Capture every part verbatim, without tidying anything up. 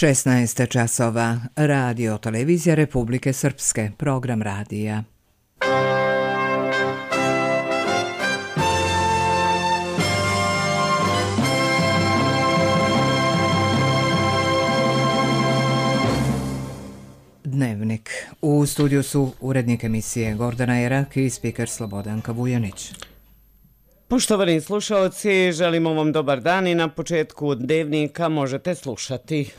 šesnaest časova. Radio televizija Republike Srpske. Program radija. Dnevnik. U studiju su urednik emisije Gordana Jerak i spiker Slobodanka Vujanić. Poštovani slušalci, želimo vam dobar dan i na početku dnevnika možete slušati.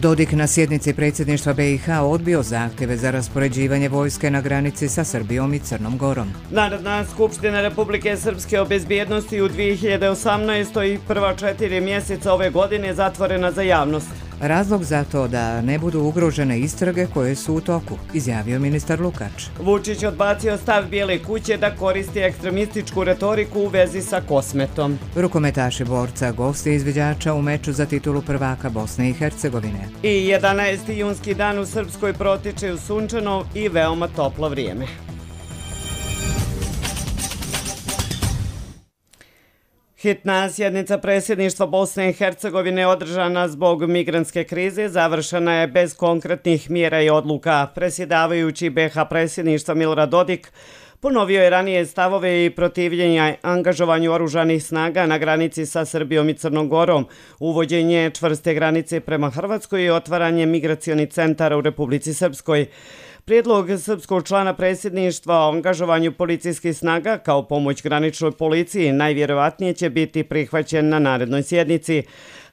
Dodik na sjednici predsjedništva B i H odbio zahtjeve za raspoređivanje vojske na granici sa Srbijom i Crnom Gorom. Narodna skupština Republike Srpske o bezbjednosti u dvije hiljade osamnaestoj i prva četiri mjeseca ove godine zatvorena za javnost. Razlog za to da ne budu ugrožene istrage koje su u toku, izjavio ministar Lukač. Vučić odbacio stav Bijele kuće da koristi ekstremističku retoriku u vezi sa Kosmetom. Rukometaši Borca gosti izviđača u meču za titulu prvaka Bosne i Hercegovine. I jedanaesti junski dan u Srpskoj protiče u sunčano i veoma toplo vrijeme. Hitna sjednica predsjedništva Bosne i Hercegovine održana zbog migrantske krize završena je bez konkretnih mjera i odluka. Predsjedavajući B i H predsjedništva Milorad Dodik ponovio je ranije stavove i protivljenja angažovanju oružanih snaga na granici sa Srbijom i Crnom Gorom, uvođenje čvrste granice prema Hrvatskoj i otvaranje migracionih centara u Republici Srpskoj. Prijedlog srpskog člana predsjedništva o angažovanju policijskih snaga kao pomoć graničnoj policiji najvjerovatnije će biti prihvaćen na narednoj sjednici.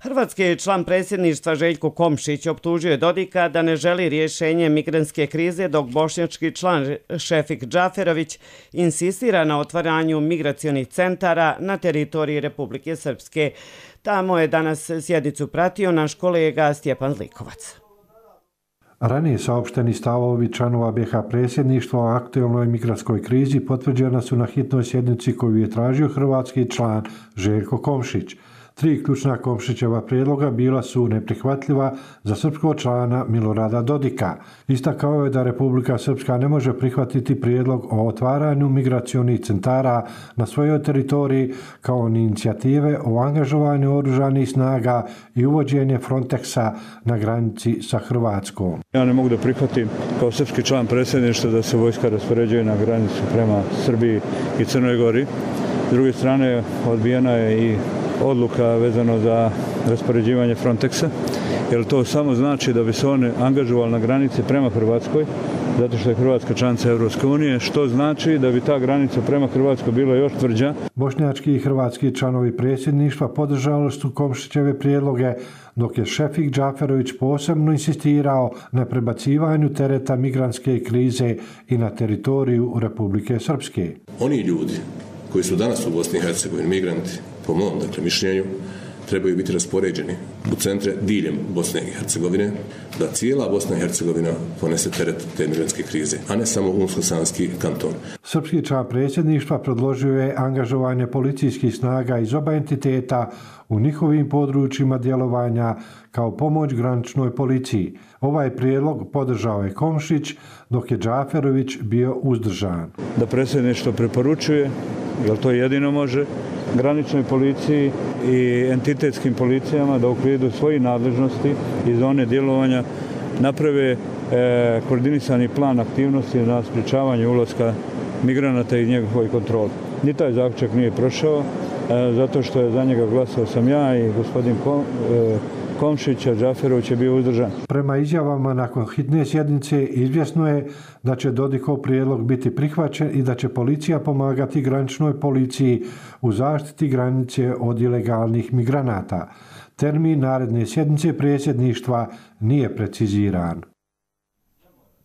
Hrvatski član predsjedništva Željko Komšić optužio je Dodika da ne želi rješenje migrantske krize, dok bošnjački član Šefik Džaferović insistira na otvaranju migracionih centara na teritoriji Republike Srpske. Tamo je danas sjednicu pratio naš kolega Stjepan Zlikovac. Ranije saopšteni stavovi članova B i H predsjedništva o aktualnoj migrantskoj krizi potvrđena su na hitnoj sjednici koju je tražio hrvatski član Željko Komšić. Tri ključna Komšićeva prijedloga bila su neprihvatljiva za srpskog člana Milorada Dodika. Istakao je da Republika Srpska ne može prihvatiti prijedlog o otvaranju migracionih centara na svojoj teritoriji kao ni inicijative o angažovanju oružanih snaga i uvođenje Frontexa na granici sa Hrvatskom. Ja ne mogu da prihvatim kao srpski član predsjedništva da se vojska raspoređuje na granicu prema Srbiji i Crnoj Gori. S druge strane, odbijena je i odluka vezano za raspoređivanje Frontexa, jer to samo znači da bi se oni angažovali na granici prema Hrvatskoj, zato što je Hrvatska članica Europske unije, što znači da bi ta granica prema Hrvatskoj bila još tvrđa. Bošnjački i hrvatski članovi predsjedništva podržali su Komšićeve prijedloge, dok je Šefik Džaferović posebno insistirao na prebacivanju tereta migrantske krize i na teritoriju Republike Srpske. Oni ljudi koji su danas u Bosni i Hercegovini, migranti, po mom dakle, mišljenju, trebaju biti raspoređeni u centre diljem Bosne i Hercegovine, da cijela Bosna i Hercegovina ponese teret te migrantske krize, a ne samo Unsko-Sanski kanton. Srpski član predsjedništva predložio je angažovanje policijskih snaga iz oba entiteta u njihovim područjima djelovanja kao pomoć graničnoj policiji. Ovaj prijedlog podržao je Komšić, dok je Džaferović bio uzdržan. Da predsjedništvo preporučuje, jer to jedino može, graničnoj policiji i entitetskim policijama da u okviru svojih nadležnosti i zone djelovanja naprave e, koordinisani plan aktivnosti na sprječavanju ulaska migranata i njegovoj kontroli. Ni taj zaključak nije prošao, e, zato što je za njega glasao sam ja i gospodin Kom, e, Komšić, a Džaferović je bio uzdržan. Prema izjavama nakon hitne sjednice izvjesno je da će Dodikov prijedlog biti prihvaćen i da će policija pomagati graničnoj policiji u zaštiti granice od ilegalnih migranata. Termin naredne sjednice predsjedništva nije preciziran.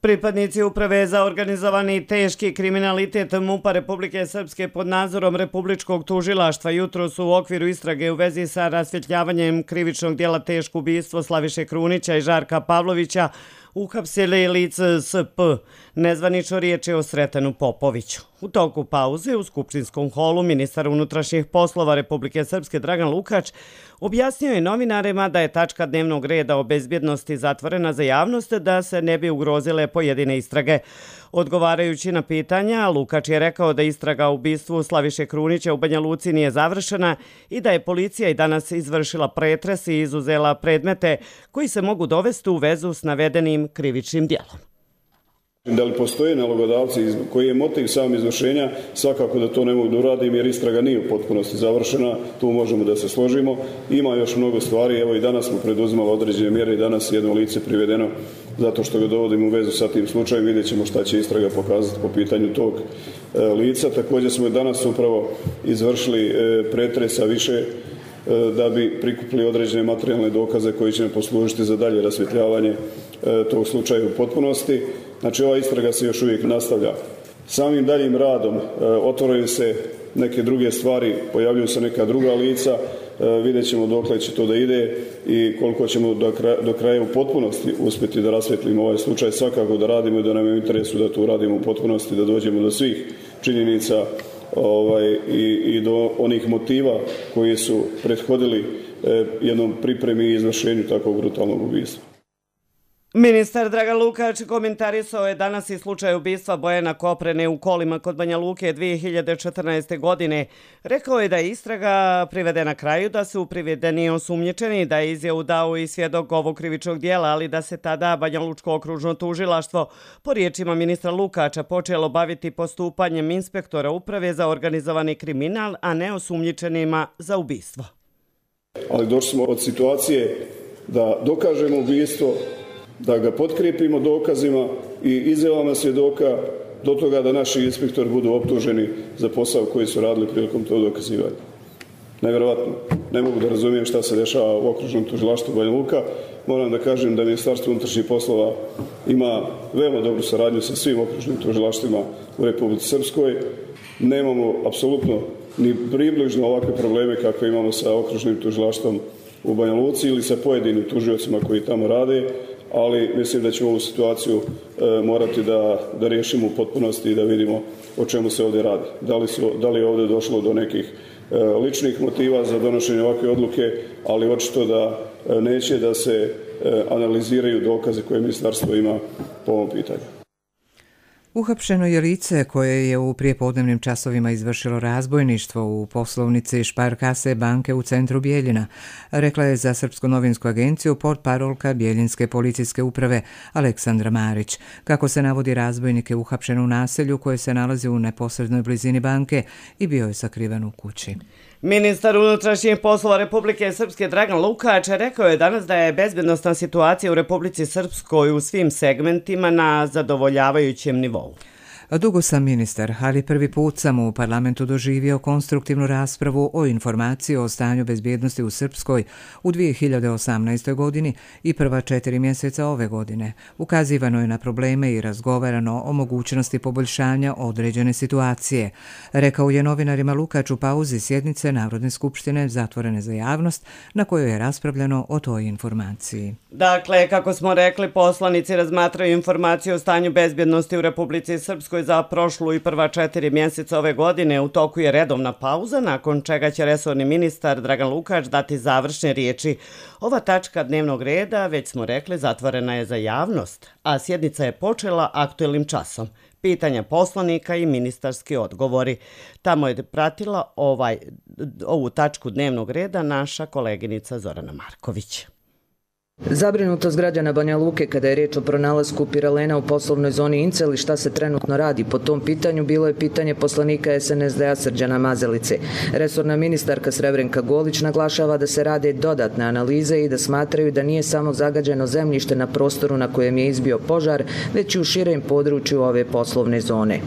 Pripadnici Uprave za organizovani teški kriminalitet MUP-a Republike Srpske pod nadzorom Republičkog tužilaštva jutros u okviru istrage u vezi sa rasvjetljavanjem krivičnog djela teško ubistvo Slaviše Krunića i Žarka Pavlovića uhapsili lice S P. Nezvanično riječ je o Sretenu Popoviću. U toku pauze u skupštinskom holu ministar unutrašnjih poslova Republike Srpske Dragan Lukač objasnio je novinarima da je tačka dnevnog reda o bezbjednosti zatvorena za javnost da se ne bi ugrozile pojedine istrage. Odgovarajući na pitanja, Lukač je rekao da istraga o ubistvu Slaviše Krunića u Banja Luci nije završena i da je policija i danas izvršila pretres i izuzela predmete koji se mogu dovesti u vezu s navedenim krivičnim djelom. Da li postoje nalogodavci koji je motiv sam izvršenja, svakako da to ne mogu da uradim jer istraga nije u potpunosti završena, tu možemo da se složimo. Ima još mnogo stvari, evo i danas smo preduzimali određene mjere i danas je jedno lice privedeno zato što ga dovodimo u vezu sa tim slučajem, vidjet ćemo šta će istraga pokazati po pitanju tog e, lica. Također smo danas upravo izvršili e, pretresa više e, da bi prikupili određene materijalne dokaze koji će nam poslužiti za dalje rasvjetljavanje e, tog slučaja u potpunosti. Znači, ova istraga se još uvijek nastavlja. Samim daljim radom e, otvaraju se neke druge stvari, pojavljuju se neka druga lica, e, vidjet ćemo dokle će to da ide i koliko ćemo do kraja, do kraja u potpunosti uspjeti da rasvjetlimo ovaj slučaj. Svakako da radimo i da nam je u interesu da to uradimo u potpunosti, da dođemo do svih činjenica ovaj, i, i do onih motiva koji su prethodili e, jednom pripremi i izvršenju takvog brutalnog ubistva. Ministar Dragan Lukač komentarisao je danas i slučaj ubistva Bojana Koprene u Kolima kod Banja Luke dvije hiljade četrnaeste. godine. Rekao je da je istraga privedena kraju, da su privedeni osumnjičeni, da je izjavu dao i svjedok ovog krivičnog dijela, ali da se tada Banja Lučko okružno tužilaštvo, po riječima ministra Lukača, počelo baviti postupanjem inspektora uprave za organizovani kriminal, a ne osumnjičenima za ubistvo. Ali došli smo od situacije da dokažemo ubistvo, da ga potkrijepimo dokazima i izjavama svjedoka do toga da naši inspektori budu optuženi za posao koji su radili prilikom tog dokazivanja. Nevjerovatno. Ne mogu da razumijem šta se dešava u okružnom tužilaštvu Banja Luka. Moram da kažem da Ministarstvo unutrašnjih poslova ima veoma dobru saradnju sa svim okružnim tužilaštvima u Republici Srpskoj. Nemamo apsolutno ni približno ovakve probleme kako imamo sa okružnim tužilaštvom u Banja Luci ili sa pojedinim tužiocima koji tamo rade, ali mislim da ćemo ovu situaciju e, morati da, da riješimo u potpunosti i da vidimo o čemu se ovdje radi. Da li, su, da li je ovdje došlo do nekih e, ličnih motiva za donošenje ovakve odluke, ali očito da e, neće da se e, analiziraju dokaze koje ministarstvo ima po ovom pitanju. Uhapšeno je lice koje je u prijepodnevnim časovima izvršilo razbojništvo u poslovnici Šparkase banke u centru Bijeljina, rekla je za Srpsku novinsku agenciju portparolka Bijeljinske policijske uprave Aleksandra Marić. Kako se navodi, razbojnik je uhapšen u naselju koje se nalazi u neposrednoj blizini banke i bio je sakriven u kući. Ministar unutrašnjih poslova Republike Srpske Dragan Lukač rekao je danas da je bezbednosna situacija u Republici Srpskoj u svim segmentima na zadovoljavajućem nivou. Dugo sam ministar, ali prvi put sam u parlamentu doživio konstruktivnu raspravu o informaciji o stanju bezbjednosti u Srpskoj u dvije hiljade osamnaestoj. godini i prva četiri mjeseca ove godine. Ukazivano je na probleme i razgovarano o mogućnosti poboljšanja određene situacije. Rekao je novinarima Lukač u pauzi sjednice Narodne skupštine zatvorene za javnost, na kojoj je raspravljeno o toj informaciji. Dakle, kako smo rekli, poslanici razmatraju informaciju o stanju bezbjednosti u Republici Srpskoj za prošlu i prva četiri mjeseca ove godine. U toku je redovna pauza, nakon čega će resorni ministar Dragan Lukač dati završne riječi. Ova tačka dnevnog reda, već smo rekli, zatvorena je za javnost, a sjednica je počela aktuelnim časom. Pitanja poslanika i ministarski odgovori. Tamo je pratila ovaj, ovu tačku dnevnog reda naša koleginica Zorana Marković. Zabrinutost građana Banja Luke kada je riječ o pronalasku piralena u poslovnoj zoni Incel i šta se trenutno radi po tom pitanju bilo je pitanje poslanika S N S D-a Srđana Mazalice. Resorna ministarka Srebrenka Golić naglašava da se rade dodatne analize i da smatraju da nije samo zagađeno zemljište na prostoru na kojem je izbio požar, već i u širem području ove poslovne zone.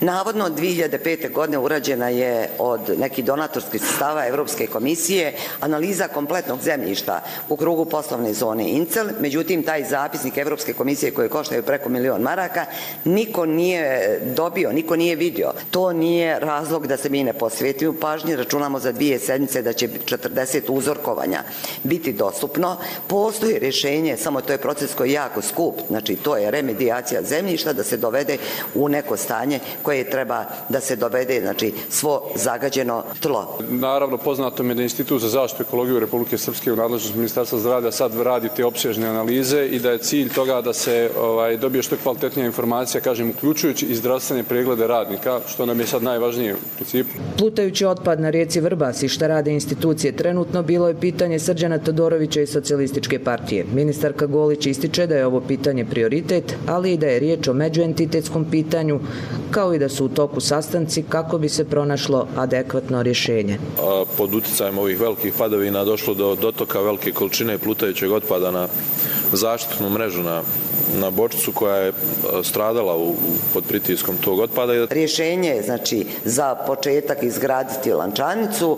Navodno dvije hiljade pete. godine urađena je od nekih donatorskih sredstava Evropske komisije analiza kompletnog zemljišta u krugu poslovne zone Incel, međutim taj zapisnik Evropske komisije koje koštaju preko milion maraka niko nije dobio, niko nije vidio. To nije razlog da se mi ne posvetimo pažnji, računamo za dvije sedmice da će četrdeset uzorkovanja biti dostupno. Postoji rješenje, samo to je proces koji je jako skup, znači to je remedijacija zemljišta da se dovede u neko stanje koje treba da se dovede, znači svo zagađeno tlo. Naravno, poznato mi je da Institut za zaštitu ekologije Republike Srpske u nadležnosti Ministarstva zdravlja sad radi te opsežne analize i da je cilj toga da se ovaj, dobije što kvalitetnija informacija, kažem, uključujući i zdravstvene preglede radnika, što nam je sad najvažnije u principu. Plutajući otpad na rijeci Vrbas i šta rade institucije trenutno bilo je pitanje Srđana Todorovića i Socijalističke partije. Ministarka Golić ističe da je ovo pitanje prioritet, ali i da je riječ o međuentitetskom pitanju, kao i da su u toku sastanci kako bi se pronašlo adekvatno rješenje. Pod utjecajem ovih velikih padavina došlo do dotoka velike količine plutajućeg otpada na zaštitnu mrežu na na bočicu koja je stradala u, pod pritiskom tog otpada. Rješenje je znači za početak izgraditi lančanicu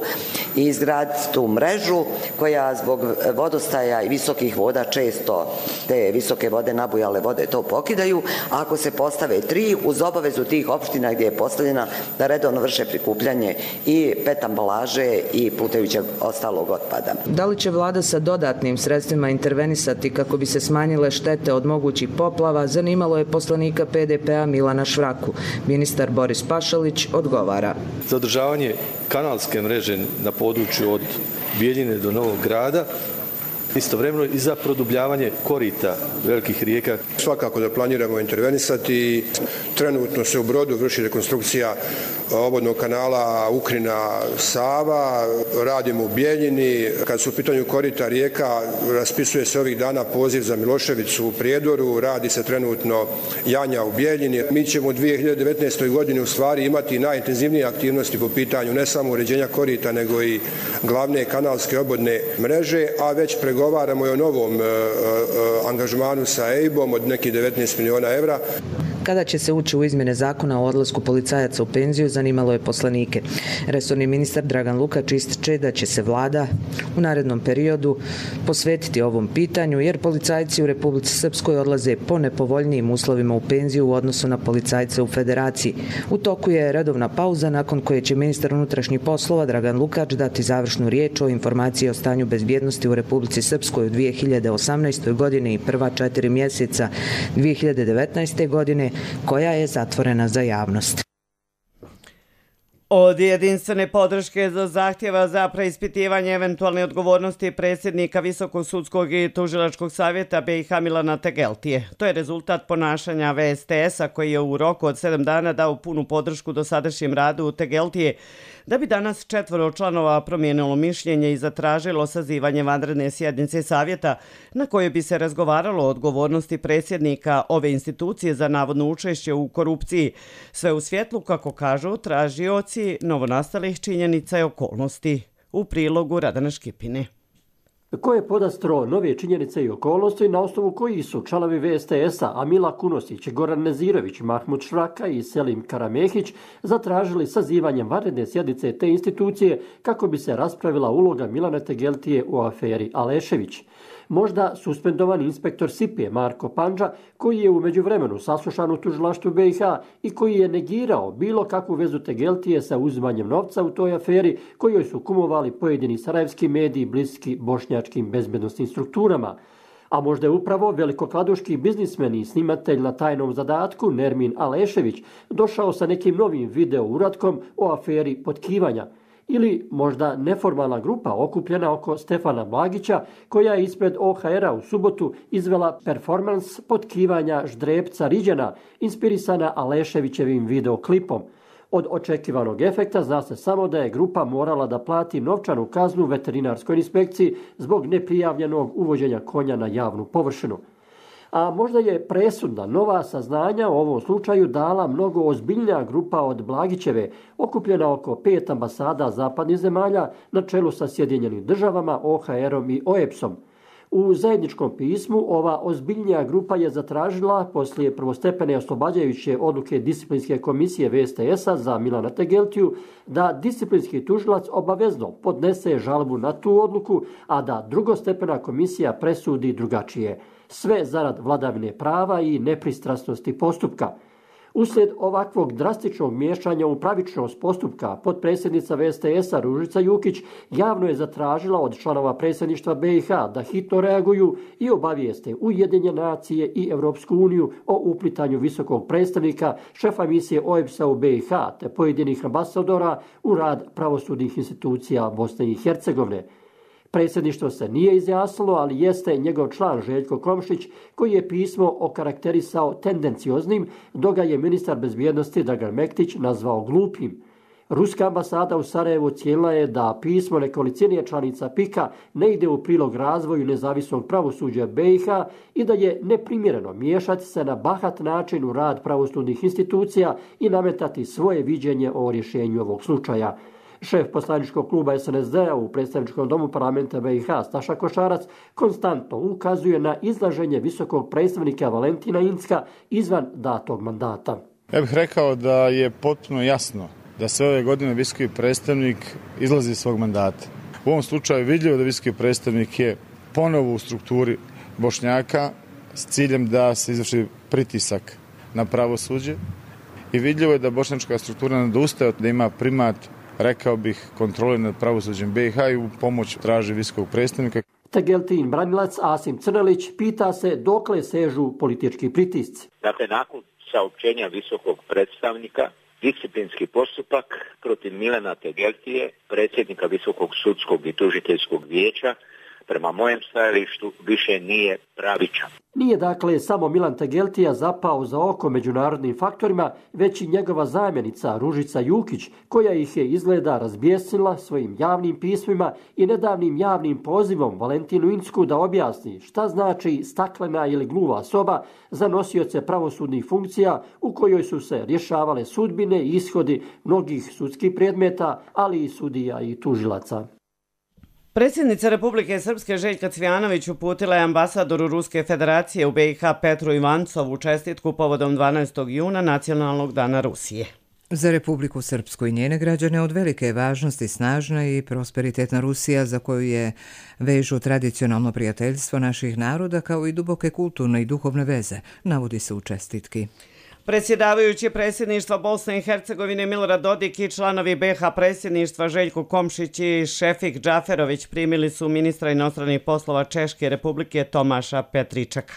i izgraditi tu mrežu koja zbog vodostaja i visokih voda često te visoke vode, nabujale vode to pokidaju. A ako se postave tri uz obavezu tih opština gdje je postavljena da redovno vrše prikupljanje i pet ambalaže i plutajućeg ostalog otpada. Da li će vlada sa dodatnim sredstvima intervenisati kako bi se smanjile štete od mogućih poplava, zanimalo je poslanika P D P-a Milana Švraku. Ministar Boris Pašalić odgovara. Za održavanje kanalske mreže na području od Bijeljine do Novog Grada, istovremeno i za produbljavanje korita velikih rijeka. Svakako da planiramo intervenisati. Trenutno se u Brodu vrši rekonstrukcija obodnog kanala Ukrina-Sava, radimo u Bijeljini. Kad su u pitanju korita rijeka, raspisuje se ovih dana poziv za Miloševicu u Prijedoru, radi se trenutno Janja u Bijeljini. Mi ćemo u dvije hiljade devetnaestoj godini u stvari imati najintenzivnije aktivnosti po pitanju ne samo uređenja korita, nego i glavne kanalske obodne mreže, a već pregovaramo i o novom e, e, angažmanu sa E I B-om od nekih devetnaest miliona evra. Kada će se ući u izmjene zakona o odlasku policajaca u penziju, zanimalo je poslanike. Resorni ministar Dragan Lukač ističe da će se vlada u narednom periodu posvetiti ovom pitanju, jer policajci u Republici Srpskoj odlaze po nepovoljnijim uslovima u penziju u odnosu na policajce u Federaciji. U toku je redovna pauza nakon koje će ministar unutrašnjih poslova Dragan Lukač dati završnu riječ o informaciji o stanju bezbjednosti u Republici Srpskoj u dvije hiljade osamnaestoj. godini i prva četiri mjeseca dvije hiljade devetnaeste. godine, koja je zatvorena za javnost. Od jedinstvene podrške za zahtjeva za preispitivanje eventualne odgovornosti predsjednika Visokog sudskog i tužilačkog savjeta B i H Milana Tegeltije. To je rezultat ponašanja V S T S-a koji je u roku od sedam dana dao punu podršku dosadašnjem radu Tegeltije, da bi danas četvoro članova promijenilo mišljenje i zatražilo sazivanje vanredne sjednice savjeta na kojoj bi se razgovaralo o odgovornosti predsjednika ove institucije za navodno učešće u korupciji, sve u svjetlu, kako kažu tražioci novonastalih činjenica i okolnosti. U prilogu Radana Škipine. Ko je podastro nove činjenice i okolnosti na osnovu kojih su članovi V S T S-a Amila Kunosić, Goran Nezirović, Mahmud Švraka i Selim Karamehić zatražili sazivanjem vanredne sjednice te institucije kako bi se raspravila uloga Milana Tegeltije u aferi Alešević. Možda suspendovani inspektor S I P-e Marko Pandža, koji je u međuvremenu saslušan u tužilaštvu B i H i koji je negirao bilo kakvu vezu Tegeltije sa uzimanjem novca u toj aferi kojoj su kumovali pojedini sarajevski mediji bliski bošnjačkim bezbednosnim strukturama. A možda je upravo velikokladuški biznismen i snimatelj na tajnom zadatku Nermin Alešević došao sa nekim novim video uratkom o aferi potkivanja. Ili možda neformalna grupa okupljena oko Stefana Blagića koja je ispred O H R-a u subotu izvela performans potkivanja Ždrepca Riđana inspirisana Aleševićevim videoklipom. Od očekivanog efekta zna se samo da je grupa morala da plati novčanu kaznu veterinarskoj inspekciji zbog neprijavljenog uvođenja konja na javnu površinu. A možda je presudna nova saznanja o ovom slučaju dala mnogo ozbiljnija grupa od Blagićeve, okupljena oko pet ambasada zapadnih zemalja na čelu sa Sjedinjenim državama, O H R-om i O E P S-om. U zajedničkom pismu ova ozbiljnija grupa je zatražila poslije prvostepene oslobađajuće odluke disciplinske komisije V S T S-a za Milana Tegeltiju da disciplinski tužilac obavezno podnese žalbu na tu odluku, a da drugostepena komisija presudi drugačije. Sve zarad vladavine prava i nepristrasnosti postupka. Uslijed ovakvog drastičnog miješanja u pravičnost postupka, potpredsjednica V S T S-a Ružica Jukić javno je zatražila od članova predsjedništva B i H da hitno reaguju i obavijeste Ujedinjene nacije i Europsku uniju o uplitanju visokog predstavnika, šefa misije O E P S-a u B i H te pojedinih ambasadora u rad pravosudnih institucija Bosne i Hercegovine. Predsjedništvo se nije izjasnilo, ali jeste njegov član Željko Komšić koji je pismo okarakterisao tendencioznim, dok ga je ministar bezbjednosti Dragan Mektić nazvao glupim. Ruska ambasada u Sarajevu ocijenila je da pismo nekolicine članica pika ne ide u prilog razvoju nezavisnog pravosuđa B i H i da je neprimjereno miješati se na bahat način u rad pravosudnih institucija i nametati svoje viđenje o rješenju ovog slučaja. Šef poslaničkog kluba S N S D-a u predstavničkom domu parlamenta B i H Staša Košarac konstantno ukazuje na izlaženje visokog predstavnika Valentina Incka izvan datog mandata. Ja bih rekao da je potpuno jasno da sve ove godine visoki predstavnik izlazi iz svog mandata. U ovom slučaju vidljivo da visoki predstavnik je ponovo u strukturi Bošnjaka s ciljem da se izvrši pritisak na pravosuđe i vidljivo je da bošnjačka struktura ne odustaje da ima primat, rekao bih, kontrole nad pravosuđem B i H i u pomoć traži visokog predstavnika. Tegeltin branilac Asim Crnelić pita se dokle sežu politički pritisci. Dakle, nakon saopćenja visokog predstavnika, disciplinski postupak protiv Milana Tegeltije, predsjednika Visokog sudskog i tužiteljskog vijeća, prema mojem stajalištu više nije pravičan. Nije dakle samo Milan Tegeltija zapao za oko međunarodnim faktorima, već i njegova zamjenica Ružica Jukić, koja ih je izgleda razbjesnila svojim javnim pismima i nedavnim javnim pozivom Valentinu Incku da objasni šta znači staklena ili gluva soba za nosioce pravosudnih funkcija u kojoj su se rješavale sudbine i ishodi mnogih sudskih predmeta, ali i sudija i tužilaca. Predsjednica Republike Srpske Željka Cvijanović uputila je ambasadoru Ruske federacije u B i H Petru Ivancovu čestitku povodom dvanaestog juna Nacionalnog dana Rusije. Za Republiku Srpsku i njene građane od velike je važnosti snažna i prosperitetna Rusija za koju je vežu tradicionalno prijateljstvo naših naroda kao i duboke kulturne i duhovne veze, navodi se u čestitki. Predsjedavajući predsjedništva Bosne i Hercegovine Milorad Dodik i članovi B H predsjedništva Željko Komšić i Šefik Džaferović primili su ministra inostranih poslova Češke Republike Tomaša Petričeka.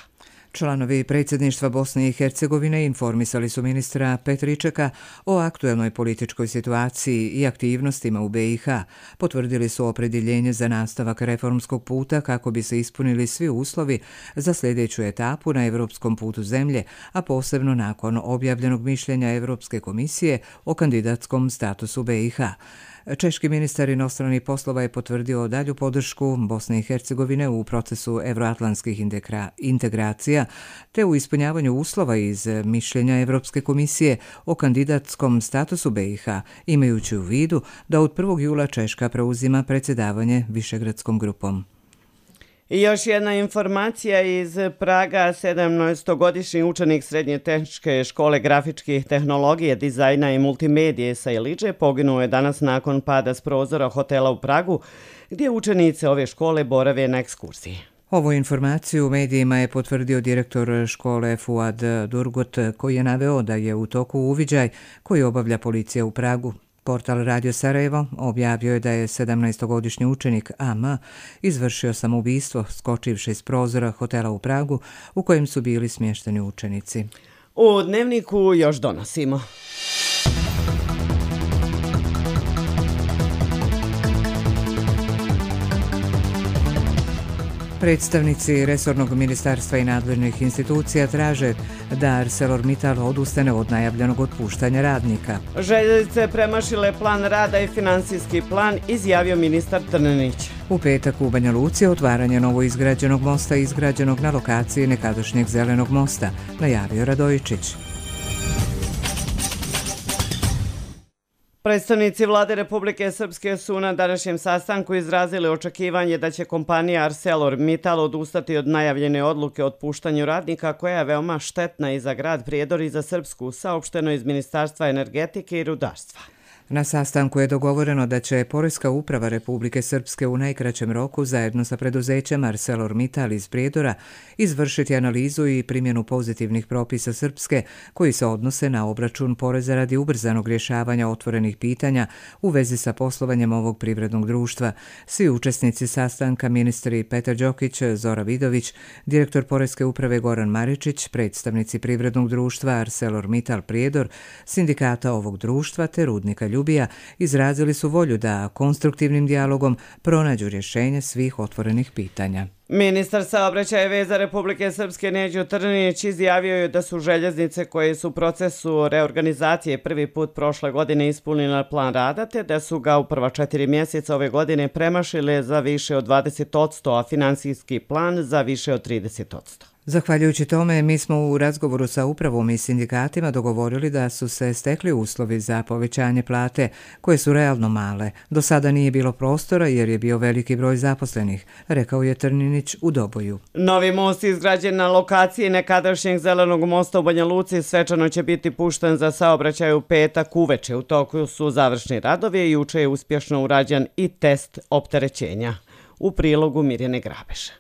Članovi predsjedništva Bosne i Hercegovine informisali su ministra Petričeka o aktuelnoj političkoj situaciji i aktivnostima u B i H. Potvrdili su opredjeljenje za nastavak reformskog puta kako bi se ispunili svi uslovi za sljedeću etapu na evropskom putu zemlje, a posebno nakon objavljenog mišljenja Evropske komisije o kandidatskom statusu B i H. Češki ministar inostranih poslova je potvrdio dalju podršku Bosne i Hercegovine u procesu evroatlantskih integracija te u ispunjavanju uslova iz mišljenja Evropske komisije o kandidatskom statusu B i H, imajući u vidu da od prvog jula Češka preuzima predsjedavanje Višegradskom grupom. I još jedna informacija iz Praga. sedamnaestogodišnji učenik Srednje tehničke škole grafičkih tehnologije, dizajna i multimedije sa Iliđe poginuo je danas nakon pada s prozora hotela u Pragu, gdje učenice ove škole borave na ekskurziji. Ovu informaciju u medijima je potvrdio direktor škole Fuad Durgut, koji je naveo da je u toku uviđaj koji obavlja policija u Pragu. Portal Radio Sarajevo objavio je da je sedamnaestogodišnji učenik A M izvršio samoubistvo skočivši s prozora hotela u Pragu u kojem su bili smješteni učenici. U Dnevniku još donosimo. Predstavnici resornog ministarstva i nadležnih institucija traže da ArcelorMittal odustane od najavljenog otpuštanja radnika. Željeznice premašile plan rada i finansijski plan, izjavio ministar Trninić. U petak u Banja Luci je otvaranje novoizgrađenog mosta izgrađenog na lokaciji nekadašnjeg Zelenog mosta, najavio Radojičić. Predstavnici vlade Republike Srpske su na današnjem sastanku izrazili očekivanje da će kompanija ArcelorMittal odustati od najavljene odluke o otpuštanju radnika koja je veoma štetna i za grad Prijedor i za Srpsku, saopšteno iz Ministarstva energetike i rudarstva. Na sastanku je dogovoreno da će Poreska uprava Republike Srpske u najkraćem roku zajedno sa preduzećem ArcelorMittal iz Prijedora izvršiti analizu i primjenu pozitivnih propisa Srpske koji se odnose na obračun poreza radi ubrzanog rješavanja otvorenih pitanja u vezi sa poslovanjem ovog privrednog društva. Svi učesnici sastanka, ministri Petar Đokić, Zora Vidović, direktor Poreske uprave Goran Maričić, predstavnici privrednog društva ArcelorMittal Prijedor, sindikata ovog društva te rudnika Ljubovija, Ljubija izrazili su volju da konstruktivnim dijalogom pronađu rješenje svih otvorenih pitanja. Ministar saobraćaja i veza Republike Srpske Neđo Trninić izjavio je da su željeznice koje su u procesu reorganizacije prvi put prošle godine ispunile plan rada, te da su ga u prva četiri mjeseca ove godine premašile za više od dvadeset posto, a finansijski plan za više od trideset posto. Zahvaljujući tome, mi smo u razgovoru sa upravom i sindikatima dogovorili da su se stekli uslovi za povećanje plate, koje su realno male. Do sada nije bilo prostora jer je bio veliki broj zaposlenih, rekao je Trninić u Doboju. Novi most izgrađen na lokaciji nekadašnjeg zelenog mosta u Banja Luci svečano će biti pušten za saobraćaj u petak uveče. U toku su završni radovi i juče je uspješno urađen i test opterećenja. U prilogu Mirjane Grabeša.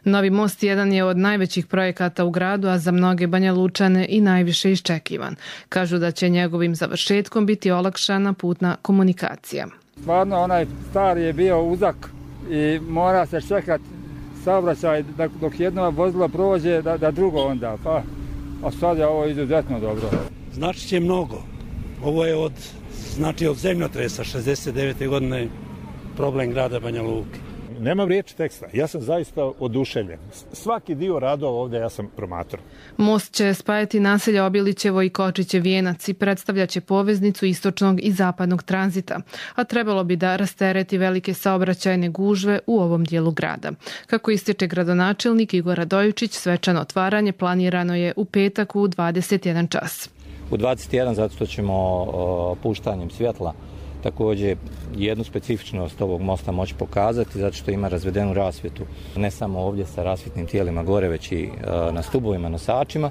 Novi most jedan je od najvećih projekata u gradu, a za mnoge Banja Lučane i najviše iščekivan. Kažu da će njegovim završetkom biti olakšana putna komunikacija. Stvarno, onaj stari je bio uzak i mora se čekati saobraćaj dok jedno vozilo prođe da, da drugo onda. Pa, a sad je ovo izuzetno dobro. Znači će mnogo. Ovo je od, znači od zemljotresa šezdeset devete godine problem grada Banja Luke. Nemam riječi teksta, ja sam zaista oduševljen. Svaki dio radova ovdje ja sam promatrao. Most će spajati naselja Obilićevo i Kočiće Vijenac i predstavljaće poveznicu istočnog i zapadnog tranzita, a trebalo bi da rastereti velike saobraćajne gužve u ovom dijelu grada. Kako ističe gradonačelnik Igor Radojičić, svečano otvaranje planirano je u petak u dvadeset jedan čas. U dvadeset jedan zato što ćemo o, puštanjem svjetla također jednu specifičnost ovog mosta moći pokazati, zato što ima razvedenu rasvjetu, ne samo ovdje sa rasvjetnim tijelima gore, već i na stubovima, nosačima.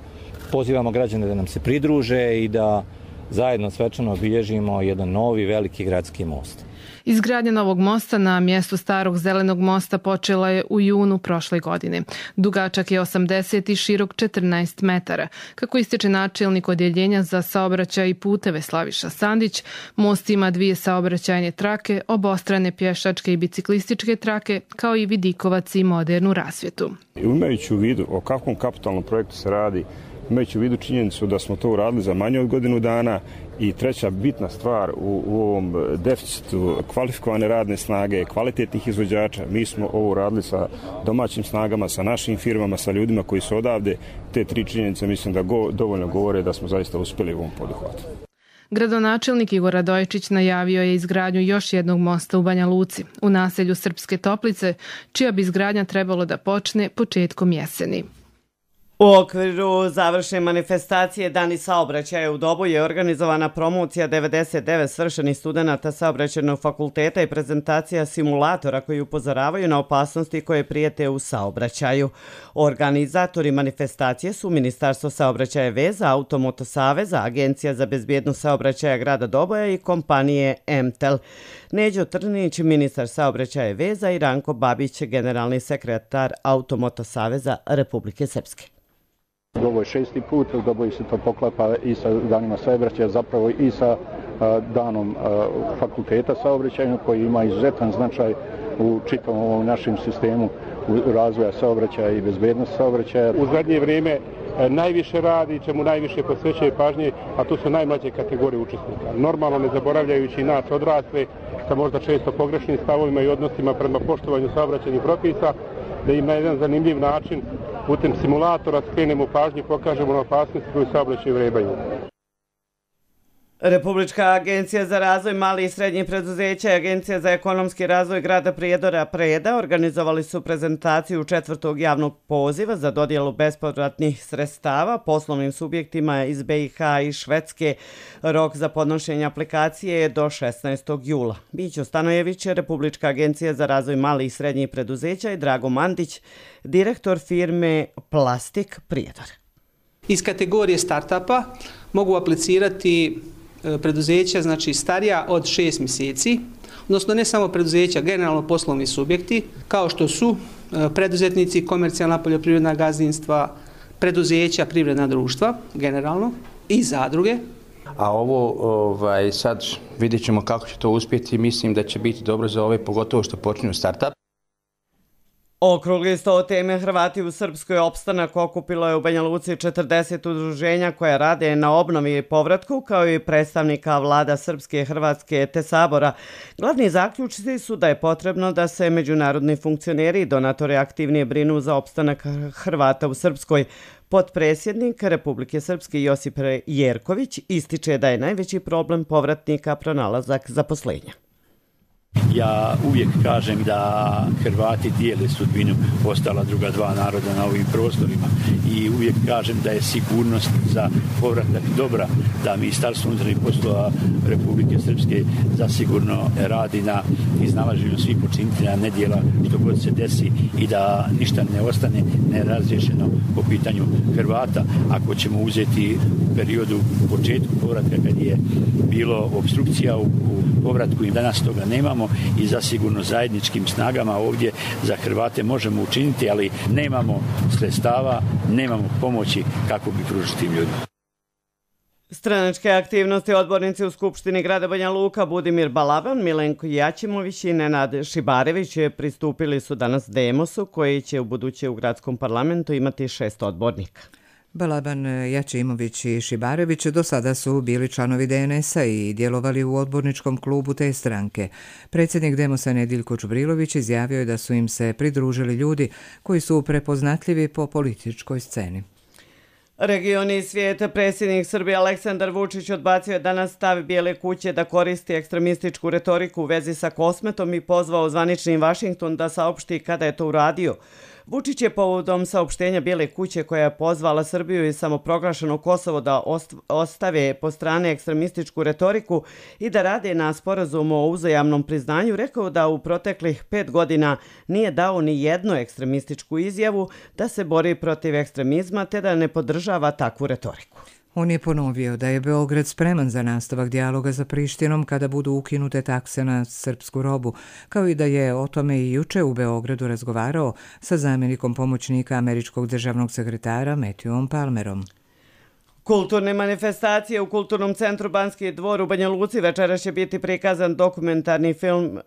Pozivamo građane da nam se pridruže i da zajedno svečano obilježimo jedan novi veliki gradski most. Izgradnja novog mosta na mjestu starog zelenog mosta počela je u junu prošle godine. Dugačak je osamdeset i širok četrnaest metara. Kako ističe načelnik odjeljenja za saobraćaj i puteve Slaviša Sandić, most ima dvije saobraćajne trake, obostrane pješačke i biciklističke trake, kao i vidikovac i modernu rasvjetu. Imajući u vidu o kakvom kapitalnom projektu se radi, imajući u vidu činjenicu da smo to uradili za manje od godinu dana i treća bitna stvar u, u ovom deficitu kvalifikovane radne snage, kvalitetnih izvođača, mi smo ovo uradili sa domaćim snagama, sa našim firmama, sa ljudima koji su odavde. Te tri činjenice mislim da go, dovoljno govore da smo zaista uspjeli u ovom poduhvatu. Gradonačelnik Igor Radojičić najavio je izgradnju još jednog mosta u Banja Luci, u naselju Srpske Toplice, čija bi izgradnja trebalo da počne početkom jeseni. U okviru završne manifestacije Dani saobraćaja u Doboju je organizovana promocija devedeset devet svršenih studenata saobraćajnog fakulteta i prezentacija simulatora koji upozoravaju na opasnosti koje prijete u saobraćaju. Organizatori manifestacije su Ministarstvo saobraćaja i veza, Automoto saveza, Agencija za bezbjednost saobraćaja grada Doboja i kompanije Emtel. Neđo Trninić, ministar saobraćaja i veza, i Ranko Babić, generalni sekretar Automoto saveza Republike Srpske. Ovo je šesti put, Doboj se to poklapa i sa danima saobraćaja, zapravo i sa a, danom a, fakulteta saobraćajnog koji ima izuzetan značaj u čitavom ovom našem sistemu razvoja saobraćaja i bezbednosti saobraćaja. U zadnje vrijeme najviše radi, čemu najviše posvećuje pažnje, a to su najmlađe kategorije učesnika. Normalno ne zaboravljajući nas odrasle sa možda često pogrešnim stavovima i odnosima prema poštovanju saobraćajnih propisa, da im na jedan zanimljiv način putem simulatora skrenemo pažnju i pokažemo na opasnosti koju saobraćaju vrebaju. Republička agencija za razvoj malih i srednjih preduzeća i Agencija za ekonomski razvoj grada Prijedora Preda organizovali su prezentaciju četvrtog javnog poziva za dodjelu bespovratnih sredstava poslovnim subjektima iz B i H i Švedske. Rok za podnošenje aplikacije je do šesnaestog jula. Bićo Stanojević, Republička agencija za razvoj malih i srednjih preduzeća, i Drago Mandić, direktor firme Plastik Prijedor. Iz kategorije startupa mogu aplicirati preduzeća, znači starija od šest mjeseci, odnosno ne samo preduzeća, generalno poslovni subjekti, kao što su preduzetnici, komercijalna poljoprivredna gazdinstva, preduzeća, privredna društva, generalno, i zadruge. A ovo ovaj, sad vidjet ćemo kako će to uspjeti, mislim da će biti dobro za ove, pogotovo što počinju startup. Okrugli sto teme Hrvati u Srpskoj opstanak okupilo je u Banja Luci četrdeset udruženja koja rade na obnovi i povratku, kao i predstavnika vlada Srpske, Hrvatske te Sabora. Glavni zaključci su da je potrebno da se međunarodni funkcioneri i donatori aktivnije brinu za opstanak Hrvata u Srpskoj. Potpredsjednik Republike Srpske Josip Jerković ističe da je najveći problem povratnika pronalazak zaposlenja. Ja uvijek kažem da Hrvati dijele sudbinu ostala druga dva naroda na ovim prostorima i uvijek kažem da je sigurnost za povratak dobra, da Ministarstvo unutarnjih poslova Republike Srpske zasigurno radi na iznalaženju svih počinitelja nedjela što god se desi i da ništa ne ostane nerazriješeno po pitanju Hrvata. Ako ćemo uzeti u periodu u početku povratka kad je bilo obstrukcija u, u povratku i danas toga nemamo, i zasigurno zajedničkim snagama ovdje za Hrvate možemo učiniti, ali nemamo sredstava, nemamo pomoći kako bi pružiti ljudima. Stranačke aktivnosti odbornici u Skupštini grada Banja Luka Budimir Balaban, Milenko Jaćimović i Nenad Šibarević pristupili su danas Demosu koji će u buduće u gradskom parlamentu imati šest odbornika. Balaban, Jaćimović i Šibarević do sada su bili članovi D N S-a i djelovali u odborničkom klubu te stranke. Predsjednik Demosa Nediljko Čubrilović izjavio je da su im se pridružili ljudi koji su prepoznatljivi po političkoj sceni. Regioni i svijete, predsjednik Srbije Aleksandar Vučić odbacio je danas stav Bijele kuće da koristi ekstremističku retoriku u vezi sa Kosmetom i pozvao zvanični Vašington da saopšti kada je to uradio. Vučić je povodom saopštenja Bijele kuće koja je pozvala Srbiju i samoproglašeno Kosovo da ostave po strane ekstremističku retoriku i da rade na sporazumu o uzajamnom priznanju, rekao da u proteklih pet godina nije dao ni jednu ekstremističku izjavu da se bori protiv ekstremizma te da ne podržava takvu retoriku. On je ponovio da je Beograd spreman za nastavak dijaloga sa Prištinom kada budu ukinute takse na srpsku robu, kao i da je o tome i juče u Beogradu razgovarao sa zamjenikom pomoćnika američkog državnog sekretara Matthewom Palmerom. Kulturne manifestacije u Kulturnom centru Banski dvor u Banja Luci večeras će biti prikazan dokumentarni film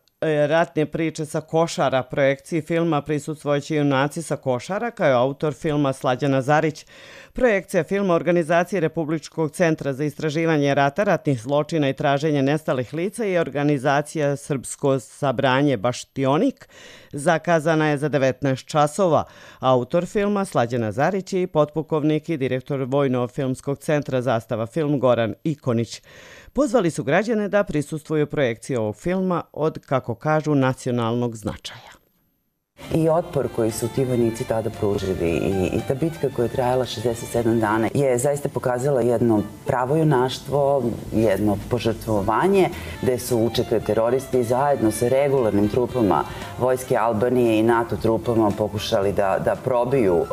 Ratne priče sa Košara. Projekciji filma prisustvojće junaci sa Košara, kao je autor filma Slađana Zarić. Projekcija filma organizacije Republičkog centra za istraživanje rata, ratnih zločina i traženje nestalih lica i organizacija Srpsko sabranje Baštionik zakazana je za devetnaest časova. Autor filma Slađana Zarić i potpukovnik i direktor Vojno-filmskog centra Zastava film Goran Ikonić. Pozvali su građane da prisustvuju projekciji ovog filma od, kako kažu, nacionalnog značaja. I otpor koji su ti vojnici tada pružili i, i ta bitka koja je trajala šezdeset sedam dana je zaista pokazala jedno pravo junaštvo, jedno požrtvovanje gde su učekli teroristi zajedno sa regularnim trupama vojske Albanije i NATO trupama pokušali da, da probiju uh,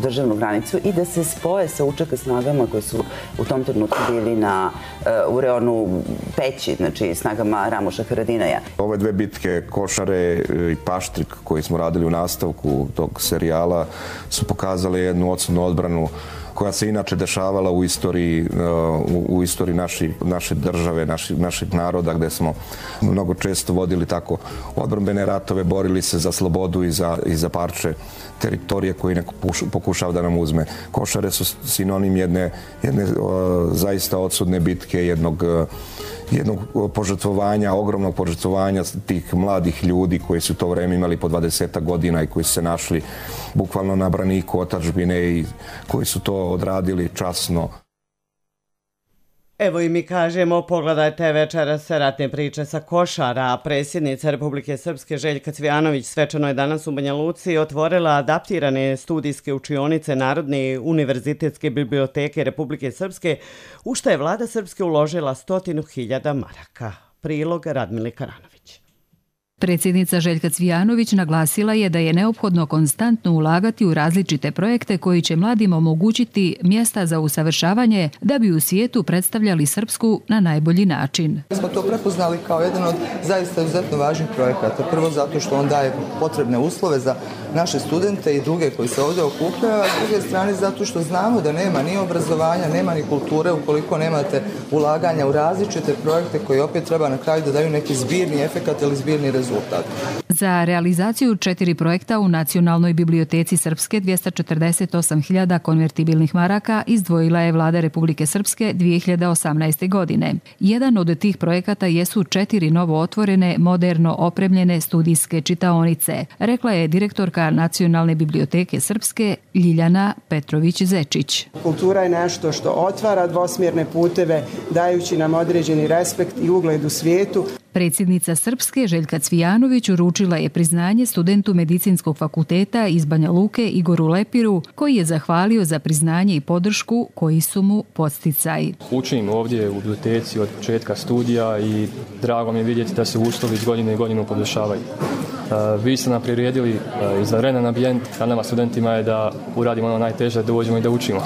državnu granicu i da se spoje sa učeka snagama koje su u tom trenutku bili na, uh, u reonu Peći, znači snagama Ramoša Haradinaja. Ove dve bitke, Košare i Paštrik, koji smo radili u nastavku tog serijala, su pokazali jednu odsudnu odbranu koja se inače dešavala u istoriji, u, u istoriji naši, naše države, naši, našeg naroda, gde smo mnogo često vodili tako odbrambene ratove, borili se za slobodu i za, i za parče teritorije koji neko pokušava da nam uzme. Košare su sinonim jedne, jedne o, zaista odsudne bitke, jednog, jednog požrtvovanja, ogromnog požrtvovanja tih mladih ljudi koji su to vreme imali po dvadesetak godina i koji su se našli bukvalno na braniku otadžbine i koji su to odradili časno. Evo i mi kažemo, pogledajte večeras Ratne priče sa Košara. Predsjednica Republike Srpske Željka Cvijanović svečano je danas u Banja Luci otvorila adaptirane studijske učionice Narodne univerzitetske biblioteke Republike Srpske, u što je vlada Srpske uložila stotinu hiljada maraka. Prilog Radmile Karanović. Predsjednica Željka Cvijanović naglasila je da je neophodno konstantno ulagati u različite projekte koji će mladima omogućiti mjesta za usavršavanje da bi u svijetu predstavljali Srpsku na najbolji način. Smo to prepoznali kao jedan od zaista izuzetno važnih projekata. Prvo zato što on daje potrebne uslove za naše studente i druge koji se ovdje okupljaju, a s druge strane zato što znamo da nema ni obrazovanja, nema ni kulture ukoliko nemate ulaganja u različite projekte koji opet treba na kraju da daju neki zbirni efekat ili zbirni rezultat. rezultat. Za realizaciju četiri projekta u Nacionalnoj biblioteci Srpske dvjesto četrdeset osam hiljada konvertibilnih maraka izdvojila je Vlada Republike Srpske dvije hiljade osamnaeste. godine. Jedan od tih projekata jesu četiri novo otvorene, moderno opremljene studijske čitaonice, rekla je direktorka Nacionalne biblioteke Srpske Ljiljana Petrović-Zečić. Kultura je nešto što otvara dvosmjerne puteve, dajući nam određeni respekt i ugled u svijetu. Predsjednica Srpske Željka Cvijanović uručila je priznanje studentu Medicinskog fakulteta iz Banja Luke Igoru Lepiru, koji je zahvalio za priznanje i podršku koji su mu podsticaj. Učim ovdje u biblioteci od početka studija i drago mi je vidjeti da se uslovi iz godine i godinu poboljšavaju. Vi ste nam priredili izvanredan ambijent, a nama studentima je da uradimo ono najteže, da dođemo i da učimo.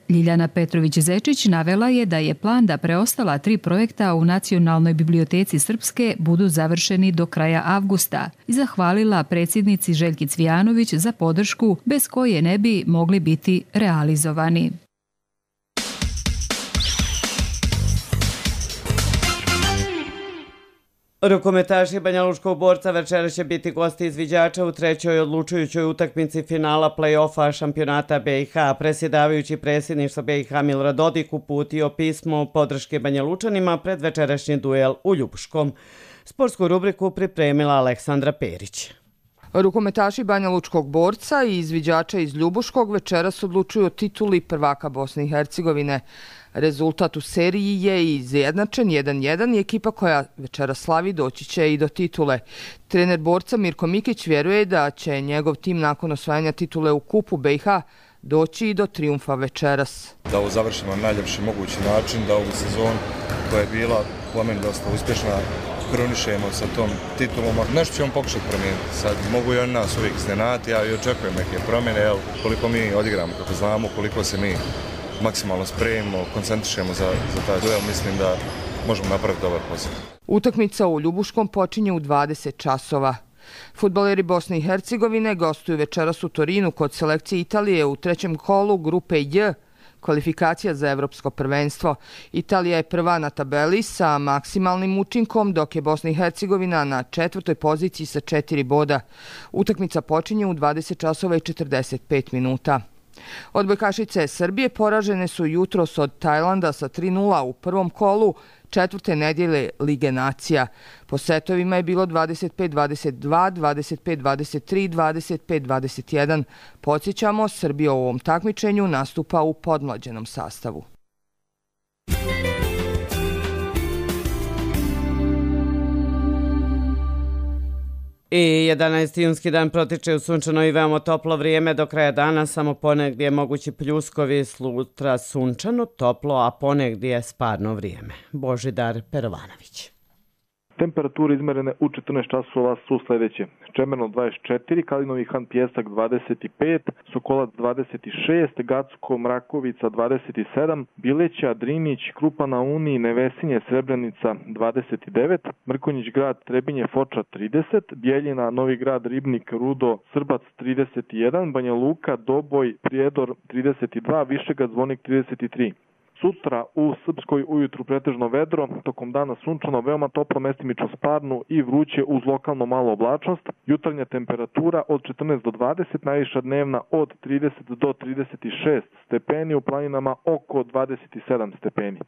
Ljiljana Petrović-Zečić navela je da je plan da preostala tri projekta u Nacionalnoj biblioteci Srpske budu završeni do kraja avgusta i zahvalila predsjednici Željki Cvijanović za podršku bez koje ne bi mogli biti realizovani. Rukometaši Banjalučkog Borca večeras će biti gosti izviđača u trećoj odlučujućoj utakmici finala play-offa šampionata B i H. Predsjedavajući predsjedništva B i H Milorad Dodik uputio pismo podrške Banjalučanima pred večerašnji duel u Ljubuškom. Sportsku rubriku pripremila Aleksandra Perić. Rukometaši Banjalučkog Borca i izviđača iz Ljubuškog večeras odlučuju o tituli prvaka Bosne i Hercegovine. Rezultat u seriji je izjednačen jedan jedan i ekipa koja večeras slavi doći će i do titule. Trener Borca Mirko Mikić vjeruje da će njegov tim nakon osvajanja titule u kupu B i H doći i do trijumfa večeras. Da ovo završimo na najljepši mogući način, da ovu sezonu koja je bila po meni dosta uspješna kronišemo sa tom titulom. Nešto ćemo pokušati promijeniti. Sad mogu i on nas uvijek iznenati, ja i očekujem neke promjene, evo, koliko mi odigramo, kako znamo, koliko se mi maksimalno spremimo, koncentrišemo za, za taj duel, mislim da možemo napraviti dobar posao. Utakmica u Ljubuškom počinje u dvadeset časova. Fudbaleri Bosne i Hercegovine gostuju večeras u Torinu kod selekcije Italije u trećem kolu grupe J, kvalifikacija za evropsko prvenstvo. Italija je prva na tabeli sa maksimalnim učinkom, dok je Bosna i Hercegovina na četvrtoj poziciji sa četiri boda. Utakmica počinje u dvadeset časova i četrdeset pet minuta. Odbojkašice Srbije poražene su jutros od Tajlanda sa tri nula u prvom kolu četvrte nedjelje Lige nacija. Po setovima je bilo dvadeset pet dvadeset dva, dvadeset pet dvadeset tri, dvadeset pet dvadeset jedan. Podsjećamo, Srbija u ovom takmičenju nastupa u podmlađenom sastavu. I jedanaesti junski dan protiče u sunčano i veoma toplo vrijeme. Do kraja dana samo ponegdje mogući pljuskovi, sutra sunčano, toplo, a ponegdje sparno vrijeme. Božidar Perovanović. Temperature izmerene u četrnaest časova su sljedeće. Čemerno dvadeset četiri, Kalinovi Han Pjesak dvadeset pet, Sokolac dvadeset šest, Gacko Mrakovica dvadeset sedam, Bileća, Drinić, Krupa na Uni, Nevesinje, Srebrenica dvadeset devet, Mrkonjić grad, Trebinje, Foča trideset, Bijeljina, Novi grad, Ribnik, Rudo, Srbac trideset jedan, Banja Luka, Doboj, Prijedor trideset dva, Višegrad, Zvonik trideset tri. Sutra u Srpskoj ujutru pretežno vedro, tokom dana sunčano, veoma toplo, mestimično sparno i vruće uz lokalno malo oblačnost. Jutarnja temperatura od četrnaest do dvadeset, najviša dnevna od trideset do trideset šest stepeni, u planinama oko dvadeset sedam stepeni.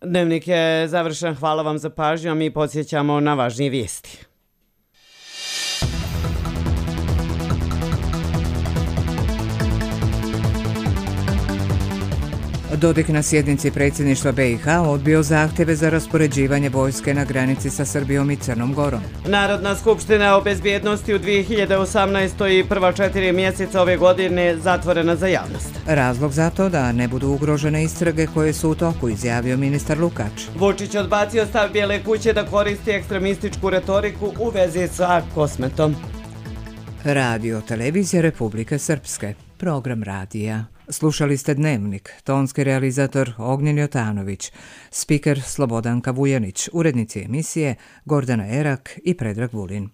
Dnevnik je završen, hvala vam za pažnju, a mi podsjećamo na važnije vijesti. Dodik na sjednici predsjedništva B i H odbio zahtjeve za raspoređivanje vojske na granici sa Srbijom i Crnom Gorom. Narodna skupština o bezbjednosti u dvije hiljade osamnaestoj i prva četiri mjeseca ove godine zatvorena za javnost. Razlog za to da ne budu ugrožene istrage koje su u toku, izjavio ministar Lukač. Vučić odbacio stav Bijele kuće da koristi ekstremističku retoriku u vezi sa Kosmetom. Radio Televizija Republike Srpske. Program radija. Slušali ste Dnevnik, tonski realizator Ognjen Jotanović, spiker Slobodanka Vujanić, urednici emisije Gordana Erak i Predrag Vulin.